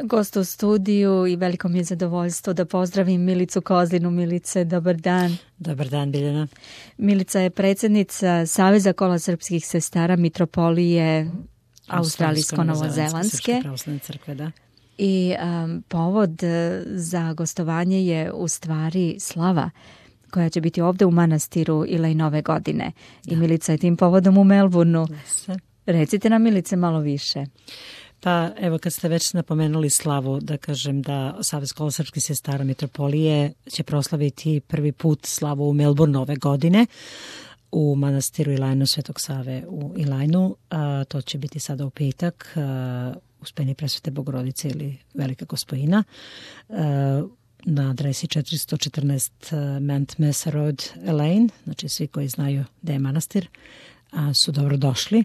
gost u studiju i veliko mi je zadovoljstvo da pozdravim Milicu Kozlinu. Milice, dobar dan. Dobar dan, Biljana. Milica je predsjednica Saveza kola srpskih sestara Mitropolije Australijsko-Novozelandske. Pravoslavne crkve, da. I povod za gostovanje je u stvari slava koja će biti ovdje u manastiru Ilej nove godine. Da. I Milica je tim povodom u Melbourneu. Recite nam, Milice, malo više. Pa evo, kad ste već napomenuli slavu, da kažem da Savez kola srpskih sestara Mitropolije će proslaviti prvi put slavu u Melbourneu ove godine u manastiru Ilajnu Svetog Save u Ilajnu. To će biti sada u petak, Uspeni presvete Bogorodice ili Velika Gospojina, na adresi 414 Mount Mesa Road, Elaine. Znači svi koji znaju da je manastir su dobro došli.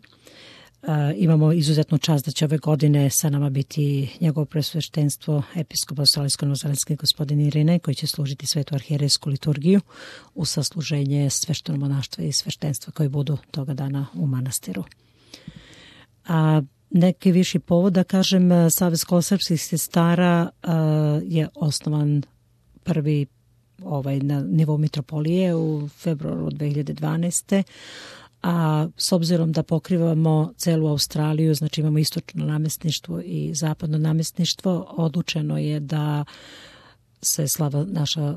Imamo izuzetnu čast da će ove godine sa nama biti njegovo presveštenstvo episkop Australijsko-Novozelandski gospodin Irine, koji će služiti svetu arhijerejsku liturgiju u sasluženje sveštenog monaštva i sveštenstva koji budu toga dana u manastiru. Neki viši povod, da kažem, Savez kola srpskih sestara je osnovan prvi na nivou Mitropolije u februaru 2012. A s obzirom da pokrivamo celu Australiju, znači imamo istočno namestništvo i zapadno namestništvo, odlučeno je da se slava naša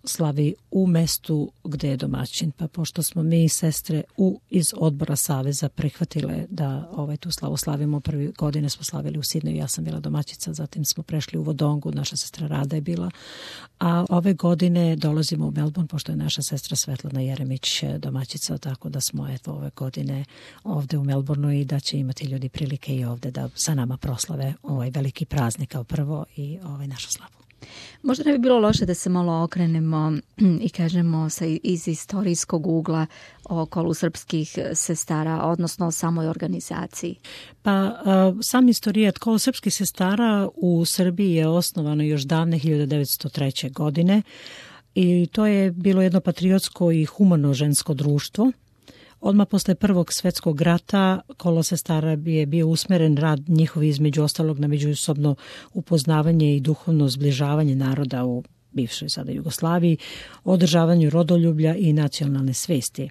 slavi u mestu gde je domaćin. Pa pošto smo mi sestre iz odbora Saveza prihvatile da tu slavu slavimo, prvi godine smo slavili u Sidneju, ja sam bila domaćica, zatim smo prešli u Wodongu, naša sestra Rada je bila, a ove godine dolazimo u Melbourne, pošto je naša sestra Svetlana Jeremić domaćica, tako da smo ove godine ovde u Melbourneu i da će imati ljudi prilike i ovde da sa nama proslave ovaj veliki praznik kao prvo i našu slavu. Možda ne bi bilo loše da se malo okrenemo i kažemo iz istorijskog ugla o kolu srpskih sestara, odnosno o samoj organizaciji. Pa sam istorijat kolo srpskih sestara u Srbiji je osnovano još davne 1903. godine i to je bilo jedno patriotsko i humano žensko društvo. Odmah posle Prvog svetskog rata kolo sestara je bio usmeren rad njihov između ostalog na međusobno upoznavanje i duhovno zbližavanje naroda u bivšoj sada Jugoslaviji, održavanju rodoljublja i nacionalne svesti.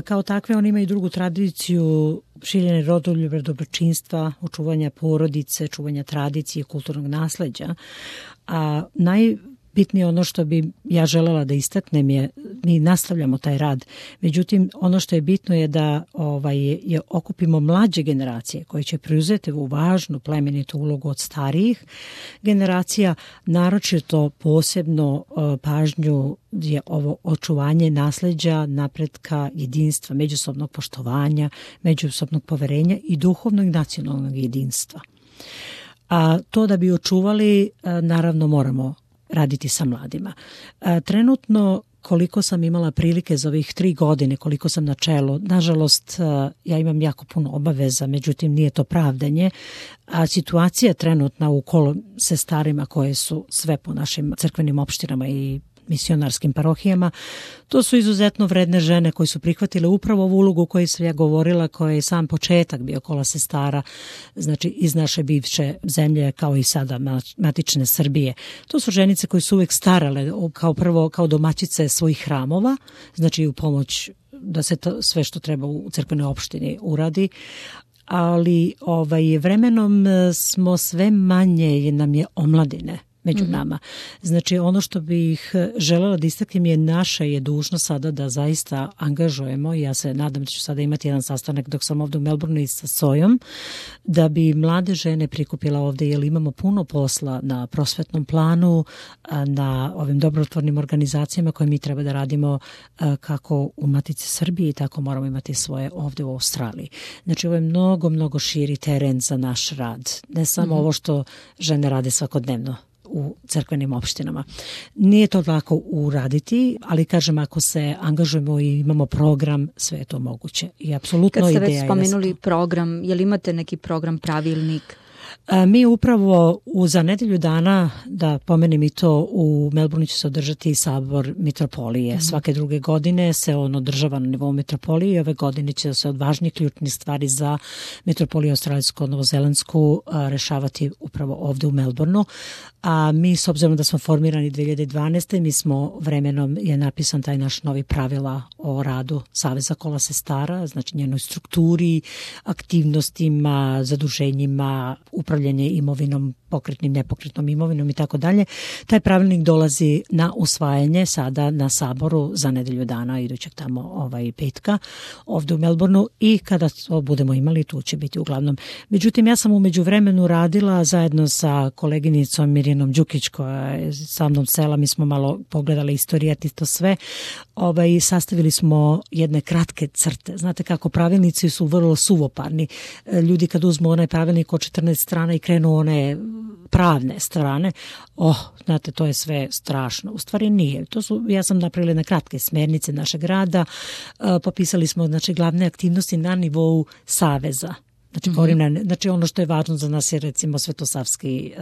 Kao takve oni imaju drugu tradiciju širenja rodoljublja, dobročinstva, očuvanja porodice, čuvanja tradicije, kulturnog nasleđa. A bitnije ono što bi ja želela da istaknem je, mi nastavljamo taj rad, međutim ono što je bitno je da je okupimo mlađe generacije koje će preuzeti u važnu plemenitu ulogu od starijih generacija, naročito posebno pažnju je ovo očuvanje nasleđa, napretka, jedinstva, međusobnog poštovanja, međusobnog poverenja i duhovnog i nacionalnog jedinstva. A to da bi očuvali, naravno moramo raditi sa mladima. Trenutno, koliko sam imala prilike za ovih 3 godine, koliko sam na čelu, nažalost, ja imam jako puno obaveza, međutim nije to pravdanje, a situacija trenutna u kolu sestarima koje su sve po našim crkvenim opštinama i misionarskim parohijama, to su izuzetno vredne žene koje su prihvatile upravo ovu ulogu koju sam ja govorila, koja je sam početak bio kola sestara, znači iz naše bivše zemlje kao i sada matične Srbije. To su ženice koje su uvek starale kao domaćice svojih hramova, znači u pomoć da se to sve što treba u crkvenoj opštini uradi, ali vremenom smo sve manje nam je omladine među nama. Znači ono što bih želela da istaknem je naša je dužnost sada da zaista angažujemo, ja se nadam da ću sada imati jedan sastanak dok sam ovdje u Melbourneu i sa Sojom, da bi mlade žene prikupila ovdje, jer imamo puno posla na prosvetnom planu, na ovim dobrotvornim organizacijama koje mi treba da radimo kako u Matici Srbiji, tako moramo imati svoje ovdje u Australiji. Znači ovo je mnogo širi teren za naš rad, ne samo ovo što žene rade svakodnevno u crkvenim opštinama. Nije to lako uraditi, ali kažem, ako se angažujemo i imamo program, sve je to moguće. I apsolutno ideja je. Kad ste već spomenuli program, je li imate neki program, pravilnik? Mi upravo za nedelju dana, da pomenem i to, u Melbourneu će se održati sabor mitropolije. Svake druge godine se on održava na nivou mitropolije i ove godine će se od važnih ključnih stvari za mitropoliju australijsko-novozelandsku rešavati upravo ovde u Melbourneu. A mi, s obzirom da smo formirani 2012. mi smo vremenom, je napisan taj naš novi pravila o radu Saveza kola sestara, znači njenoj strukturi, aktivnostima, zaduženjima, upravljanje imovinom, pokretnim, nepokretnom imovinom i tako dalje. Taj pravilnik dolazi na usvajanje sada na saboru za nedelju dana idućeg tamo petka ovde u Melbourneu i kada to budemo imali tu će biti uglavnom. Međutim, ja sam u međuvremenu radila zajedno sa koleginicom Mirjanom Đukić koja je sa mnom sela, mi smo malo pogledali istorijat i to sve i sastavili smo jedne kratke crte. Znate kako pravilnici su vrlo suvoparni. Ljudi kad uzmu onaj pravilnik od 14 strana i krenu one pravne strane, znate, to je sve strašno. U stvari nije. Ja sam napravila na kratke smernice našeg rada, popisali smo glavne aktivnosti na nivou saveza. Znači ono što je važno za nas je recimo Svetosavski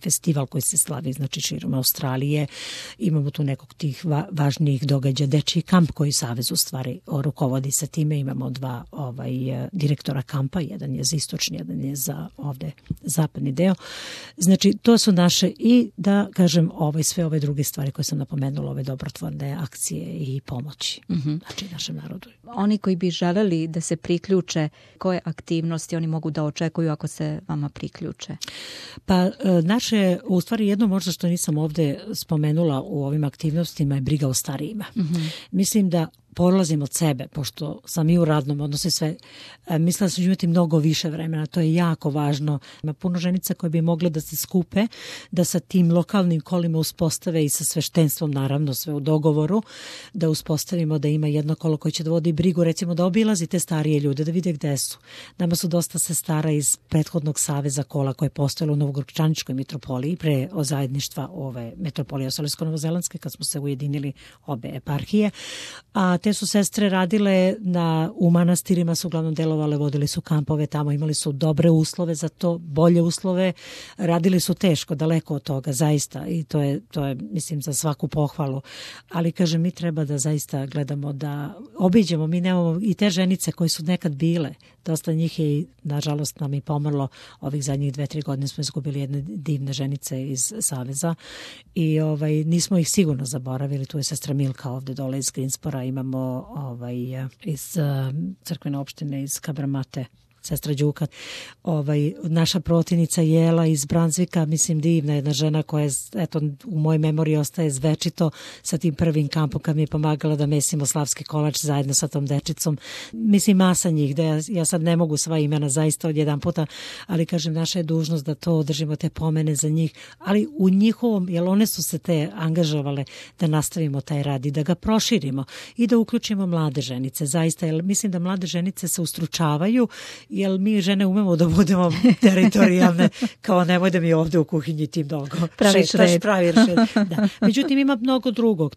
festival koji se slavi širom Australije. Imamo tu nekog tih važnijih događaja, dečiji kamp koji savez u stvari rukovodi sa time. Imamo dva direktora kampa, jedan je za istočni, jedan je za ovde zapadni deo. Znači to su naše i da kažem sve ove druge stvari koje sam napomenula, ove dobrotvorne akcije i pomoći našem narodu. Oni koji bi želeli da se priključe, koje aktivnosti oni mogu da očekuju ako se vama priključe? Pa naše, u stvari jedno možda što nisam ovde spomenula u ovim aktivnostima je briga o starijima. Mislim da polazim od sebe, pošto sam i u radnom odnosu sve, mislila da ću imati mnogo više vremena, to je jako važno. Ima puno ženica koje bi mogle da se skupe, da sa tim lokalnim kolima uspostave i sa sveštenstvom, naravno sve u dogovoru, da uspostavimo da ima jedno kolo koje će da vodi brigu, recimo da obilazi te starije ljude, da vide gde su. Nama su dosta sestara iz prethodnog saveza kola koje je postojalo u Novogorčaničkoj mitropoliji pre zajedništva ove mitropolije australijsko-novozelandske kad smo se ujedinili obe eparhije, a te su sestre radile u manastirima, su uglavnom delovale, vodili su kampove tamo, imali su dobre uslove za to, bolje uslove, radili su teško, daleko od toga, zaista, i to je mislim za svaku pohvalu, ali kažem, mi treba da zaista gledamo da obiđemo, mi nemamo i te ženice koje su nekad bile, dosta njih je, nažalost, nam i pomrlo, ovih zadnjih 2-3 godine smo izgubili jedne divne ženice iz Saveza i nismo ih sigurno zaboravili, tu je sestra Milka ovde dole iz Greenspora, imamo iz crkvene opštine iz Kabramate, sestra Đuka, naša protivnica Jela iz Branzvika, mislim divna jedna žena koja eto u mojoj memoriji ostaje zvečito sa tim prvim kampom kad mi je pomagala da mesimo slavski kolač zajedno sa tom dečicom. Mislim masa njih, da ja sad ne mogu sva imena zaista od jedan puta, ali kažem naša je dužnost da to održimo, te pomene za njih, ali u njihovom, jer one su se te angažovale da nastavimo taj rad i da ga proširimo i da uključimo mlade ženice, zaista, jer mislim da mlade ženice se ustručavaju, jer mi žene umemo da budemo teritorijalne, kao nemoj da mi ovde u kuhinji ti mnogo praviš red. Da. Međutim, ima mnogo drugog.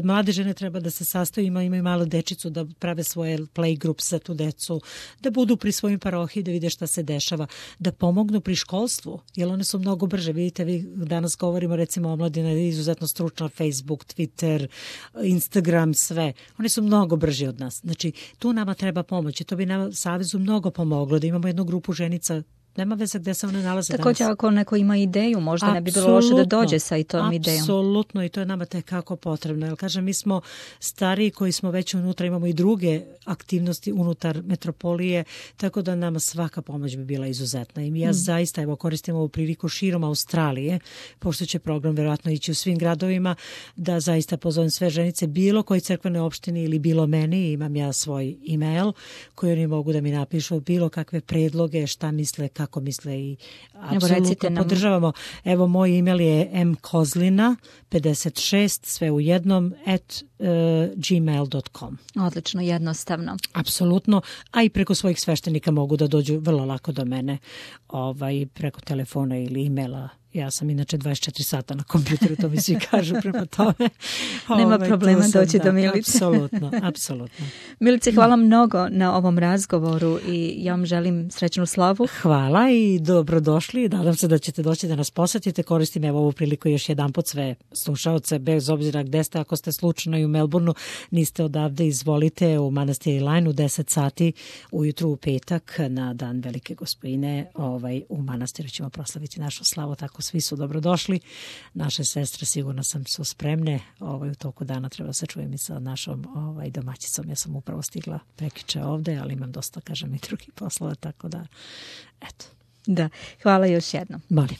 Mlade žene treba da se sastaju, imaju malu dečicu, da prave svoje playgroups za tu decu, da budu pri svojim parohiji, da vide šta se dešava, da pomognu pri školstvu, jer one su mnogo brže. Vidite, vi danas govorimo recimo omladina je izuzetno stručna, Facebook, Twitter, Instagram, sve. Oni su mnogo brži od nas. Znači, tu nama treba pomoći. To bi nam Savezu mnogo pomoglo, da imamo jednu grupu ženica, nema veze gde se one nalaze danas. Također ako neko ima ideju, možda ne bi bilo loše da dođe sa i tom idejom. Apsolutno, i to je nama tekako potrebno. Jer kažem, mi smo stariji koji smo već unutra, imamo i druge aktivnosti unutar metropolije, tako da nama svaka pomoć bi bila izuzetna. I ja zaista koristim ovu priliku širom Australije, pošto će program verovatno ići u svim gradovima, da zaista pozovem sve ženice, bilo koji crkvene opštini ili bilo meni, imam ja svoj e-mail koji oni mogu da mi napišu, bilo kakve predloge, šta misle, kako misle i apsolutno podržavamo. Evo, moj email je mkozlina56, sve u jednom, @gmail.com. Odlično, jednostavno. Apsolutno, a i preko svojih sveštenika mogu da dođu vrlo lako do mene, preko telefona ili emaila Ja sam inače 24 sata na kompjuteru, to mi svi kažu prema tome. Nema problema doći do Milice. Apsolutno. Milice, hvala mnogo na ovom razgovoru i ja vam želim srećnu slavu. Hvala i dobrodošli. Nadam se da ćete doći da nas posetite. Koristim evo ovu priliku još jedanput sve slušaoce, bez obzira gde ste, ako ste slučajno i u Melbourneu, niste odavde, izvolite u Manastir Line u 10 sati ujutru u petak na dan Velike Gospojine. U manastiru ćemo proslaviti našu slavu, tako svi su dobrodošli. Naše sestre, sigurno sam, su spremne. U toku dana treba se čujem i sa našom domaćicom. Ja sam upravo stigla prekjuče ovde, ali imam dosta, kažem, i drugih poslova, tako da, eto. Da, hvala još jednom. Molim.